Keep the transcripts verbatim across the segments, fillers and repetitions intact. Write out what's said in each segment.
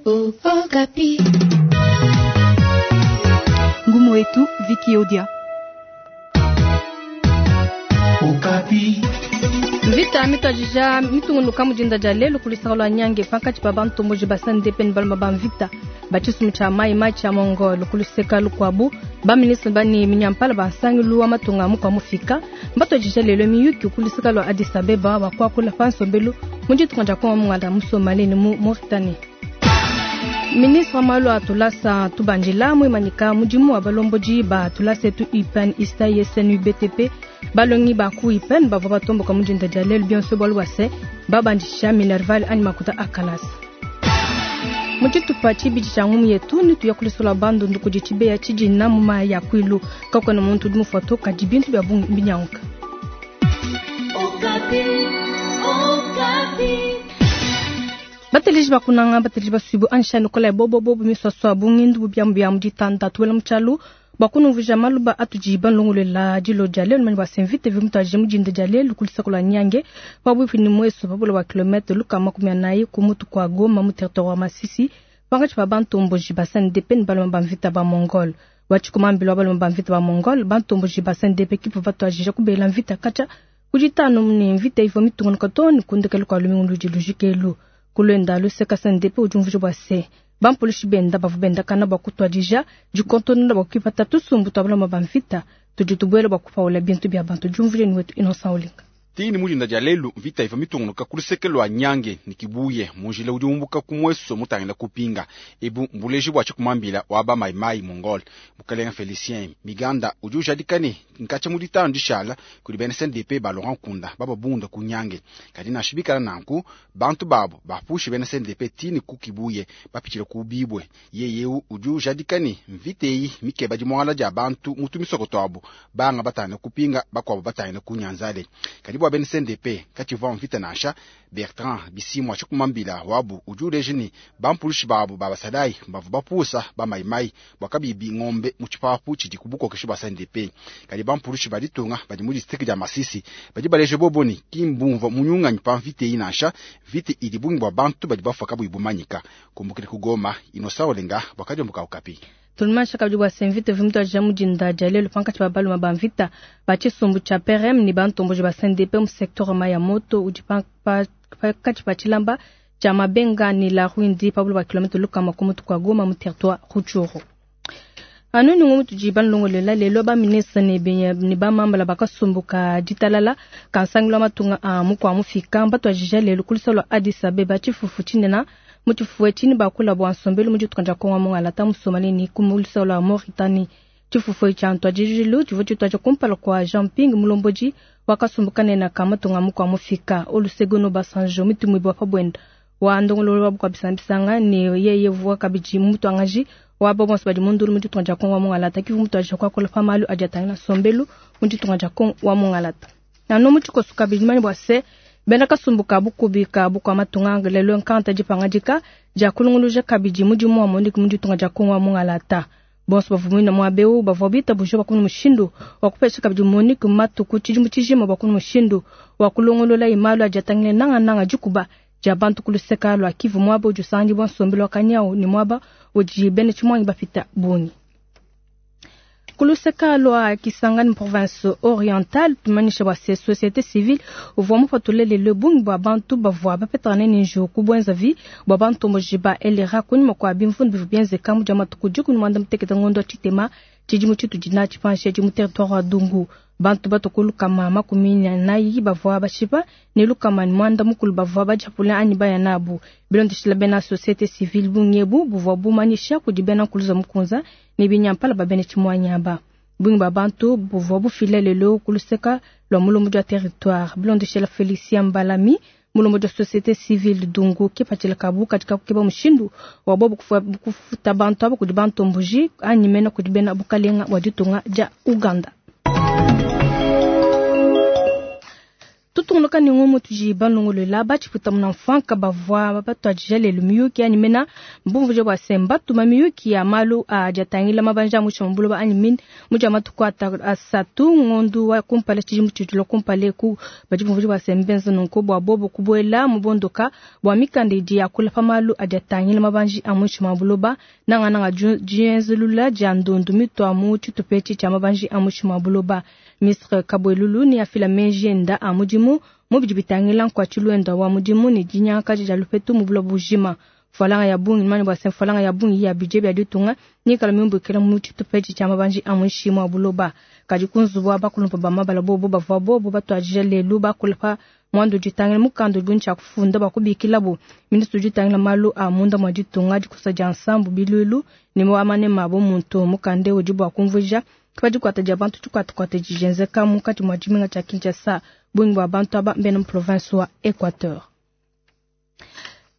Okapi. Ngumu wetu Viki Odia. Okapi. Mvita mitwajija mitungunuka mujinda dia lelu kulisaka lwa nyange pankatshi pa bantomboji ba C N D P ne baluma ba mvita ba tshisumbu tshia mai mai tshia Mongol. Kuluseka lukuabu, baministre bani minyampala bansangilu wa matunga mukwa mufika mbatwajija lelo miyuki kuluseka lwa Addis Abeba bakuakula pa nsombelu mu ditunga dia Kongo mungala, mu Somalie ne mu Mauritanie. Ministre wa malu a tulasa tubandila muimanyika mudimu wa balombodi ba tulasa etu I P E N, I S T A, I S N, U B T P. Balongi ba ku I P E N bavua batomboka mudinda dia lelu, bionso bualu bua se babandisha minerval anyi makuta a kalasa. Mu tshitupa tshibidi tshia ngumu yetu, nituya kulisola Bandundu kudi tshibeya tshidina mu mayi ya kwilu. Kakuena muntu udi mufua to, kadi bintu bia bungi mbinyanguka. Okapi. Okapi. Bateleji bakunanga, bateleji basuibu ansha nikola bobo bobo miswaswa bungindu bubiamu bia mu ditanda tuwela mu tshialu bakunumvuija maluba atudi banlongolela dilo dia lelu. Mani basemvite vimutaje mudinda dia lelu kulisaka lwa Nyange pabuipi ni mweso pabula wa kilomètre luka makumi anayi ku mutu kwa Goma mu territoire wa Masisi, pankatshi pa bantomboji ba C N D P ne baluma ba mvita ba Mongol. Watshikumambila wa baluma ba mvita ba Mongol, bantomboji ba C N D P kipu batuajija kubela mvita katshia kuditanu ne mvita ivua mitungunuka to ne kundekelu kua lumingu ludi lujikelu. Kulwenda luseka, C N D P udi umvuija bua se bampulushi benda bavua bendakana bua kutuadija dikontonona bua kuipata tusumbu tua baloma ba mvita tudi tubuela bua kupaula bintu bia bantu. Diumvuija ni wetu Innocent Olinga. Tini mudinda dia lelu, mvita iva mitungunuka kuluseke lwa Nyange ni Kibuye munjila udi umbuka kumweso mutangila kupinga. Ebu mbuleji bua tshikumambila wa ba maimai Mongol mukalenga Felicien Miganda udi ujadika ne nkatsha mu ditanu dishala kudi bena C N D P ba Laurent Nkunda bababunda ku Nyange, kadi nansha bikala nanku bantu babo bapushi bena C N D P tini ku Kibuye bapitshile ku Bibwe. Yeyeu udi ujadika ne mvita eyi mikeba dimuangala dia bantu mutu misoko twabo, banga batangila kupinga, bakuabo batangila ku Nyanzale. Kadi bua bena C N D P katshivua mvita nansha. Bertrand Bisimwa tshikumambila wabu udi uleja ne bampulushi babo ba basalayi bavua bapusa bamaimai bua kabibi ngombe mu tshipapu tshidi ku bukokeshi bua C N D P. Kadi bampulushi ba ditunga badi mu district dia Masisi badi baleja bobo ne kimbumvua munyunganyi pa mvita eyi nansha. Mvita idi bungi bua bantu badi bafua kabuyi bumanyika. Kumbukila ku Goma, Innocent Olenga bua kadiombo ka Okapi. Tulumansha kabidi bua se mvita vimutwadija mudinda dia lelu pankatshi pa baluma ba mvita ba tshisumbu tshia P R M ne bantomboji ba C N D P mu secteur mai ya moto udi pakatshi pa tshilamba tshia Mabenga ne la Rwindi, pabula ba kilomètre lukama ku mutu kua Goma mu territoire Rutshuru. Anu ningu mutudi banlongolela lelo, baministre ne ne bamambala bakasumbuka ditalala kansangilu wa matunga a mukua mufika mbatwadija lelu kulisa lwa Addis Abeba tshifufu tshinena. Mu tshifufu etshi bakula bua nsombelu mu ditunga dia Kongo mongala mu Somalie ne ku mulisa lwa Mauritanie. Tshifufu tshia ntwadijilu tshivua tshituadija kumpala kua Jean Ping, mulombodi wakasumbuka nena ka matunga mukua mufika. Olusegun Obasanjo, mitumibua pa buenda wa ndongololo wa bukua bisanga ne yeye vua kabidi mutuangaji wa bo bonso badi mundulu mu ditunga dia Kongo wa mongalata, kivu mutuadija kuakula pa malu adi atangila nsombelu mu ditunga dia Kongo wa mongalata. Nanu mu tshikoso kabidi, mani bua se bena kasumbu ka bukubi ka bukua matunga lelo nkanta dipangadika dia kulunguluja kabidi mudimu wa MONUC mu ditunga dia Kongo wa mongalata. Bonso bavua muina muaba eu bavua bitabuje bakuna mushindu wa kupesha kabidi MONUC matuku tshidimu tshijima bakuna mushindu wa kulongolola imalu adi atangila nangananga dikuba dia bantu kuluseka lua Kivu, muaba udi usangibua nsombelu wa kanyawu ne muaba udi bena tshimuangi bapita bungi. Kuluseka lua Kisangani, province Orientale, tumanyisha bua se société civile uvua mupatule lelo bungi bua bantu bavua bapetangane ne njiwu ku buenzavi bua bantomboji ba L R A kunyima kua bimvundu bivua bienzeka mu dia matuku dikumi muanda mutekete ngondo wa tshitema tshidimu tshitudi natshi panshi edi mu territoire wa Dungu. Bantu batuku lukama makumi anayi bavua bashipa ne lukama ne muanda mukulu bavua badiapula anyi baya nabu. Bilondeshila bena société civile, bungi ebu buvua bumanyisha kudi bena nkuluza mukunza ne binyampala ba bena tshimuanyi aba. Bungi ba bantu buvua bufila lelo kuluseka lua mulombodi wa territoire. Bilondeshela Felicien Mbalami, mulombodi wa société civile Dungu, kipatshila kabu katika kukeba mushindu wa bobu kufuta bantu abo kudi bantomboji anyi mena kudi bena bukalenga bua ditunga dia Uganda. Tutungunuka ne ngumu tudi balongolola batshiputa muna mfanka bavua batuadija lelu miyuki anyi mena mbumvuje bua se mbatuma miyuki ya malu adi atangila mabanja a muinshi mua buloba anyi mine mu dia matuku asatu ngondu wa kumpala tshidimu tshitula kumpala eku badi bumvuje bua se mbenza nunku bua bobo kubuela mu bondoka bua mikanda idi yakula pa malu adi atangila mabanji a muinshi mua buloba nangananga dienzulula dia ndundu mitua mu tshitupa etshi tshia mabanji a muinshi mua buloba. Ministre Kabwelulu ne afila meji enda a mudimu mu bidi bitangila nkuatshilu wenda wa mudimu ne dinyangakaja dia lupetu mu buloba bujima. Mfalanga ya bungi mani bua se mfalanga ya bungi ya budget bia ditunga nikala miumbukila mu tshitupa etshi tshia mabanji a muinshi mua buloba. Kadi ku nzubu wa bakulumpa ba mabala bobo bavua bobo batuadija lelu bakula pa mwandu ditangila mukanda udi tshia kufunda bua kubikilabu ministre udi utangila malu a munda mua ditunga dikusa dia nsambu bilulu ne wa manema abo muntu mukanda udi bua kumvuija pa dikuata dia bantu dikuatakuata dijenzeka munkatshi mua tshimenga tshia Kinshasa bungi bua bantu aba mbena mu province wa Equateur.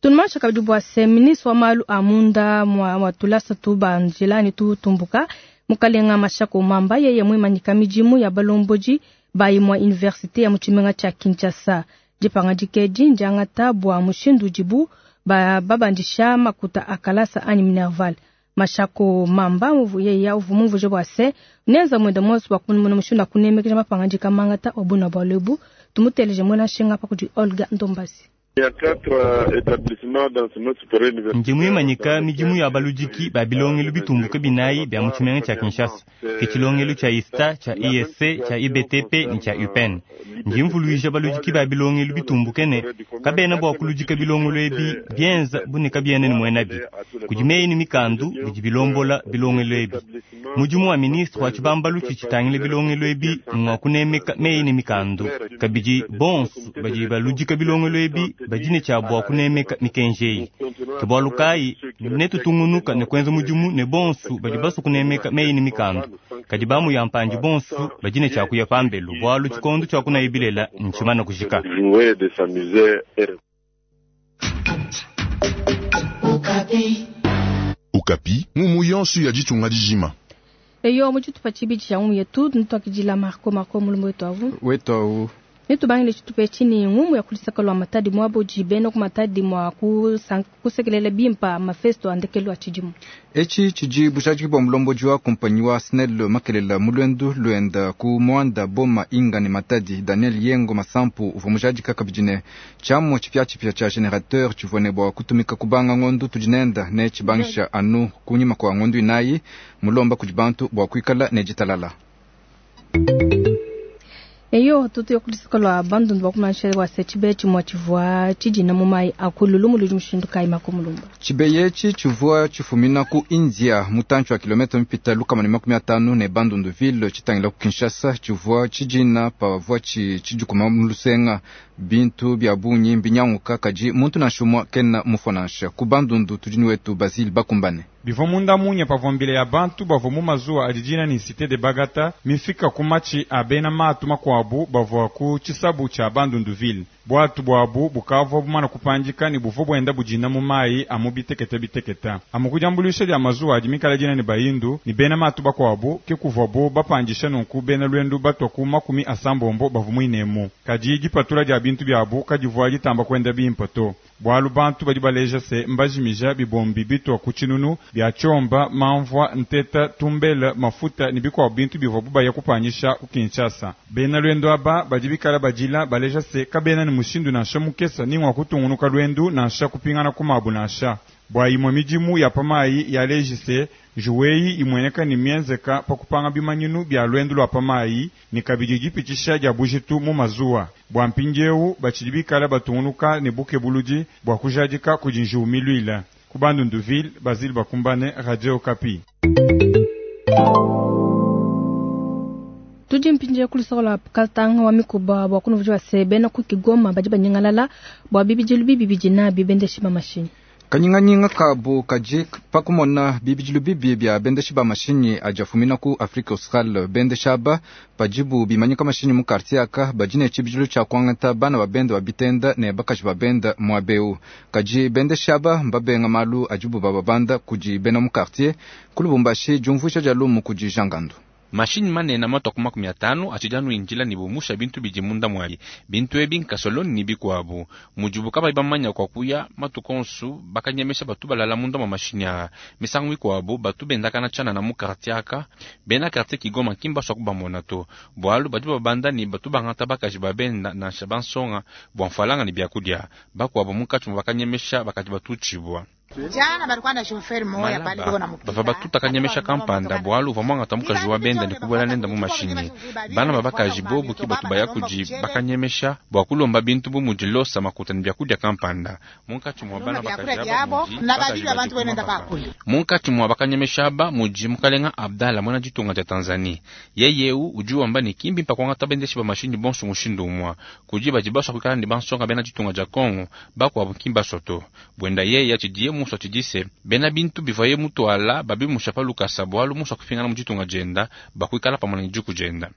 Tunumansha kabidi bua se ministre wa malu a munda mua tulasa tu banjila ne tutumbuka mukalenga Mashako Mamba yeye muimanyika midimu ya balombodi ba imue universite ya mu tshimenga tshia Kinshasa. Dipangadika edi ndiangata bua mushindu udibu babandisha makuta a kalasa anyi Minerval. Mashako Mamba yeye uvua mumvuje bua se nenza mwenda monso bua kumona mushindu wa kunemekesha mapangadika mangata wa buna bua lebu. Tumuteleje mwena nshinga pa kudi Olga Ndombasi. Ndi muimanyika midimu ya baludiki ba bilongelu bitumbuke binayi bia mu tshimenga tshia Kinshasa, ke tshilongelu tshia ISTA, tshia I S C, tshia I B T P ne tshia U P E N. Ndi mvuluija baludiki ba bilongelu bitumbuke ne kabena bua kuludika bilongelu ebi bienza bu ne kabiena ne muenabi. Kudi meyi ne mikandu bidi bilombola bilongelu ebi. Mudimu wa ministre wa tshibambalu tshitshitangila bilongelu ebi ngwa kunemeka meyi ne mikandu. Kabidi bonso badi baludika bilongelu ebi badi ne tshia bua kunemeka mikenji eyi. Ke bualu kayi netutungunuka ne kuenza mudimu ne bonso badi basue kunemeka meyi ne mikandu. Kadi bamu ya mpandi bonso badi ne tshia kuya pambelu bualu tshikondo tshia kunaya bilela ntshimana kujika. Okapi ngumu yonso ya ditunga dijima. Eyo mu tshitupa tshibidi tshia ngumu yetu ntuakidila Marco Marco mulumbu wetu avu. Wetu awu. Netubangile tshitupa etshi ne ngumu ya kulisaka lua Matadi muaba udi bena ku Matadi mua kusekelela bimpa mafesto a ndekelu a tshidimu. Etshi tshidi bujadiki bua mulombodi wa kompanyi wa SNEL makelela mu luendu luenda ku Muanda Boma Inga ne Matadi. Daniel Yengo Masampu uvua mujadika kabidi ne tshiamu tshipiatshipia tshia generateur tshivua ne bua kutumika kubanga ngondu tudi nenda ne tshibangisha anu kunyima kua ngondu inayi mulomba kudi bantu bua kuikala ne ditalala. Eyo tutu yokulisaka lua bandundu bakumansha bua se tshibe tshimue tshivua tshidina mu mayi akululu muludi mushindu kayi makumulumba. Tshibeye etshi tshivua tshifumina ku India mutantshi wa kilomita mipita lukama ne makumi atanu ne Bandundu ville tshitangila ku Kinshasa tshivua tshidina pavua tshidikuma mu lusenga. Bintu bia bungi mbinyanguka kadi muntu nansha umue kena mufua nansha. Ku Bandundu tudi ni wetu Basile Bakumbane. Bivua munda munya pavua mbila ya bantu bavua mu mazuwa adi dina ni Cité de Bagata mifika ku matshi a bena matu makuabu bavua ku tshisabu tshia Bandunduville. Bwatu bwabu bukavua bumana kupandika ne buvua buenda budina mu mayi amu biteketa biteketa. Amu kudiambuluisha dia mazuwa adi mikala dina ne bayindu ne bena matu bakuabu ke kuvuabu bapandisha nunku bena lwendu batua ku makumi asambombo bavua muinemu. Kadi dipatula dia bintu biabu kadivua ditamba kuenda bimpe to. Bualu bantu badi baleja se mbajimija bibombi bitua ku tshinunu bia tshiomba, mamvua, nteta, tumbele, mafuta ne bikuabu bintu bivua bubaya kupanyisha ku Kinshasa. Bena lwendo aba badi bikala badila baleja se kabena ne mushindu nansha mukesa ni ngwa kutungunuka lwendu nansha kupingana ku mabu nansha. Bua imue midimu ya pamayi yaleji se njuweyi imueneka ni mienzeka pa kupanga bimanyinu bia lwendu lwa pamayi ni kabidi dipitisha dia bujitu mu mazuwa. Bua mpindiewu batshidi bikala batungunuka ne bukebuludi bua kujadika kudi njiwu miluila. Ku Bandunduville, Basile Bakumbane, Radio Okapi. Tudi mpindieu kulusaka lua Katanga wa mikuba bua kunuvuja se bena ku Kigoma badi banyingalala bua bibidilu bibi bidi nabi bendeshi ba mashinyi. Kanyinganyinga kabu kadi pakumona bibidilu bibi bia bendeshi ba mashinyi adi afumina ku Afrique Austral. Bendeshi aba padibu bimanyika mashinyi mu quartier aka badi ne tshibidilu tshia kuangata bana ba benda ba bitenda ne bakaji ba benda muaba eu. Kadi bendeshi aba mbabenga malu adibu bababanda kudi bena mu quartier. Ku Lubumbashi diumvuija dia lumu kudi Jean Gandu. Mashinyi manene matwa ku makumi atanu atshidi anu injila ne bumusha bintu bidi munda muabi. Bintu ebi nkasoloni ne bikuabu. Mudibu kabayi bamanya kwa kuya matuku onsu bakanyemesha batu balala munda mwa mashinyi aa. Misangu mikuabu batu bendakana tshianana mu quartier aka. Bena quartier Kigoma ki mbasua kubamona to. Bualu badi babanda ne batu bangata bakaji ba benda nansha bansonga bua mfalanga ne biakudia. Bakuabu munkatshi mua bakanyemesha bakadi batutshibua. Malaba bava batuta kanyemesha kampanda bualu uvua muangata mukaji wa benda ne kubuela nenda mu mashinyi. Bana ba bakaji bobu ki batu baya kudi bakanyemesha bua kulomba bintu bu mudi losa makuta ne biakudia kampanda. Munkatshi mua bana bakaji aba mudi bakaji badi ku mabaka. Munkatshi mua bakanyemesha aba mudi mukalenga Abdallah muena ditunga dia Tanzanie. Yeye eu udi wamba ne ki mbimpe kuangata bendeshi ba mashinyi bonso mushindu umue. Kudi badi basua kuikala ne bansonga bena ditunga dia Congo, bakuabu ki mbasua to. Buenda yeye tshidiye musua tshidise bena bintu bivaye mutuala babimusha pa lukasa bualu musua kupingana mu ditunga dienda bakuikala pamue ne diku dienda.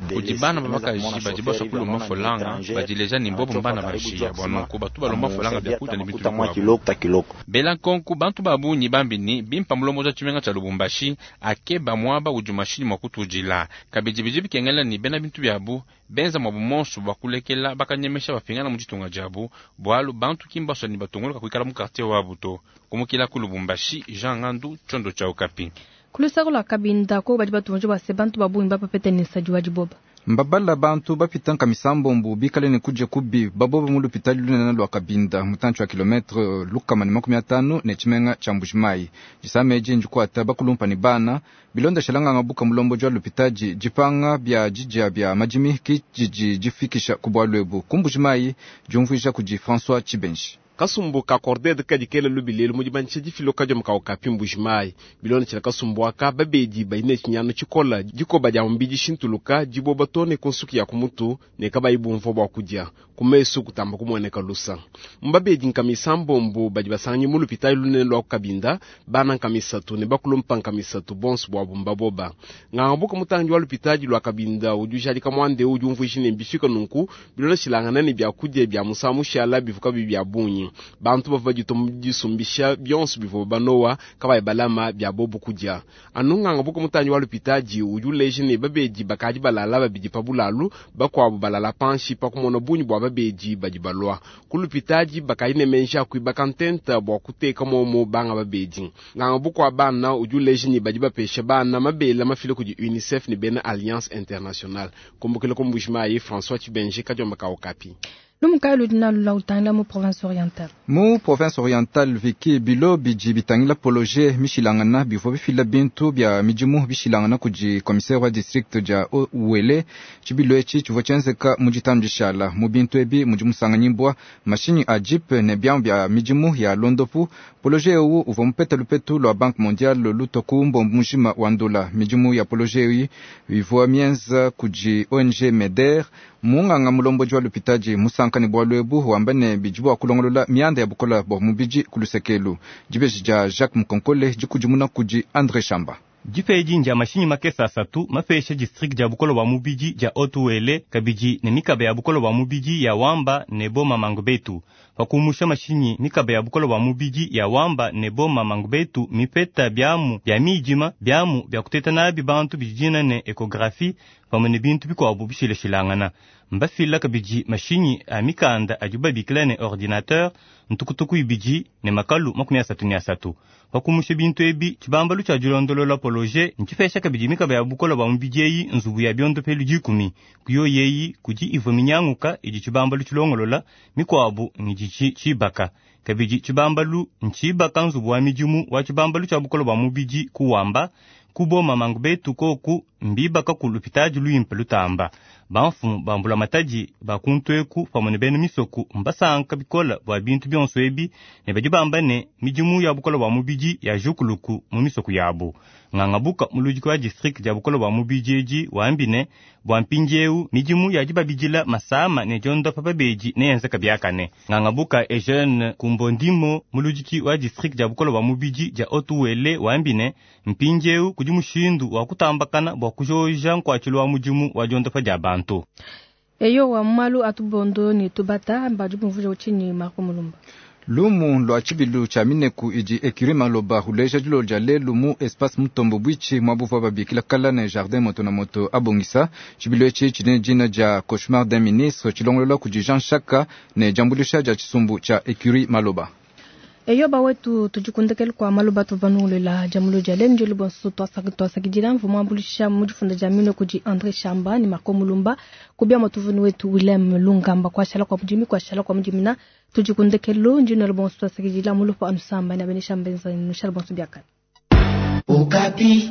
Kudi bana ba bakaji badi basua kulomba folanga badileja ne mbobo mbana bashiya bua nunku batu balomba folanga biakudia ne bintu bikuabu. Bela nkonku bantu ba bungi bambi ne bimpa mulombozi wa tshimenga tshia Lubumbashi akeba muaba udi mashinyi mua kutudila. Kabidi bidi bikengela ne bena bintu biabu benza muabu monso bua kulekela bakanyemesha bapingana mu ditunga diabu bualu bantu ki mbasua ne batunguluka kuikala mu quartier wabu to. Kumukila ku Lubumbashi, Jean Ngandu, Tshiondo tshia Okapi. Kulusako lua Kabinda ko badi batunje bua se bantu ba bungi bapapete ne nsadi wa diboba. Mbabala bantu bapita nkamisambombo bikale ne kudia kubi baboba mu lupitali lunene lua Kabinda mutantshi wa kilometre lukama ne makumi atanu ne tshimenga tshia Mbujimayi. Disama edi ndikuata bakulumpa ne bana bilondeshela nganga buka mulomboji wa lupitadi dipanga bia didia bia madimi ki didi difikisha ku bualu ebu ku Mbujimayi diumvuija kudi François Tshibenji. Kasumbu ka Corded kadi kela lubilelu mu dibanisha difiloka dia mukau ka Mbujimayi. Bilondeshela kasumbu aka babedi badi ne tshinyanu tshikola dikoba dia mubidi shintuluka diboba to ne ku nsuki ya ku mutu ne kabayi bumvua bua kudia ku mesu kutamba kumueneka lusa. Mbabedi nkamisa mbombo badi basanganyi mu lupitali lunene lua ku Kabinda bana nkamisatu ne bakulumpa nkamisatu bonso bua bumba boba. Ngangabuka mutangi wa lupitali lua Kabinda udi ujadika muande udi umvuija ne mbifika nunku bilondeshilangana ne biakudia bia musangu mushala bivuka bibi bia bungi. Bantu bavua badituma disumbisha bionso bivua banowa kabayi balama bia bobu kudia. Anu nganga buka mutangi wa lupitadi udi uleja ne babedi bakadi balala babidi pa bulalu bakuabu balala panshi pa kumona bungi bua babedi badi balua. Ku lupitadi bakadi ne menji a kuibaka ntenta bua kuteka momo banga babedi. Nganga buka wa bana udi uleja ne badi bapesha bana mabela mafile kudi UNICEF ne bena Alliance Internationale. Kumbukila ku Mbujimayi, François Tshibenji, Kadiomba ka Okapi. Lumukayi ludi nalo la utangila mu province orientale. Mu province orientale viki bilo bidi bitangila poloje mishilangana bivua bifila bintu bia midimu bishilangana kudi commissaire wa district dia Uele. Tshibilo etshi tshivua tshienzeka mu ditanu dishala. Mu bintu ebi mudi musanganyibua mashinyi a jeep ne biamu bia midimu ya londopu. Poloje ewu uvua mupeta lupetu lua Banque mondiale lutua ku mbombo mujima wa ndola. Midimu ya poloje eyi ivua mienza kudi O N G MEDER. Munganga mulomboji wa lupitadi musanka ne bualu ebu wamba ne bidi bua kulongolola mianda ya bukola bua mubidi ku lusekelu. Dibeji dia Jacques Mukonkole dikudimuna kudi André Chamba. Difeji ndia mashinyi makesa asatu mapesha district dia bukolo bua mubidi dia Haut-Uele kabidi ne mikaba ya bukolo bua mubidi ya Wamba ne Boma Mangbetu. Pakumusha mashinyi mikaba ya bukolo bua mubidi ya Wamba ne Boma Mangbetu mipeta biamu bia midima biamu bia kuteta nabi bantu bidina ne echographie pamue ne bintu bikuabu bishilashilangana. Mbafila kabidi mashinyi a mikanda adi babikila ne ordinateur ntukutuku ibidi ne makalu makumi asatu ne asatu. Pakumusha bintu ebi tshibambalu tshia dilondolola poloje ntshipesha kabidi mikaba ya bukolo bua mubidi eyi nzubu ya biondopelu dikumi. Kuyo yeyi kudi ivua minyanguka idi tshibambalu tshilongolola mikuabu ngidi tshibaka. Kabidi tshibambalu ntshibaka nzubu wa midimu wa tshibambalu tshia bukolo bua mubidi kuwamba kuboma Mangbetu koku mbibaka ku lupitadi luimpe lutamba. Bamfumu bambula matadi bakuntweku pamue ne bena misoku mbasanka bikola bua bintu bionso ebi ne badi bamba ne midimu ya bukolo bua mubidi ya jukuluku mu misoku yabu. Ngangabuka muludiki wa district dia bukolo bua mubidi edi wambi ne bua mpindieu midimu ya dibabidila masama ne diondopa babedi neyenzeka biakane. Ngangabuka Eugene Kumbondimo muludiki wa district dia bukolo bua mubidi dia Haut-Uele wambi ne mpindieu kudi mushindu wa kutambakana bua kujoja nkuatshilu wa mudimu wa diondopa dia bantu. Eyo wa malu atubondo ni tubata mbaju bumvuja uchini Marco Mulumba. Lumu lwa tshibilu tshia mineku idi Ecurie Maloba uleja dilolo dia lelu mu Espace Mutombo Bwitshi muabuvua babikila kala ne Jardin Moto na Moto abongisa. Tshibilu etshi tshidi ne dina dia Cauchemar d'un ministre tshilongolola kudi Jean Chaka ne diambuluisha dia tshisumbu tshia Ecurie Maloba. Eyo bawetu tudikundekele kwa maloba tuvanungulela jamulo dia lelu njelu bonso twasakidila mvumu ambulisha mu difunda dia mino kudi André Chamba ni Marco Mulumba kubia matuvunu wetu Willem Lungamba kwashala kwa mudimi kwashala kwa mudimina tudikundekelo njino bonso twasakidila mulupo anusamba na benesha mbenza nushala bonso biakana. Okapi.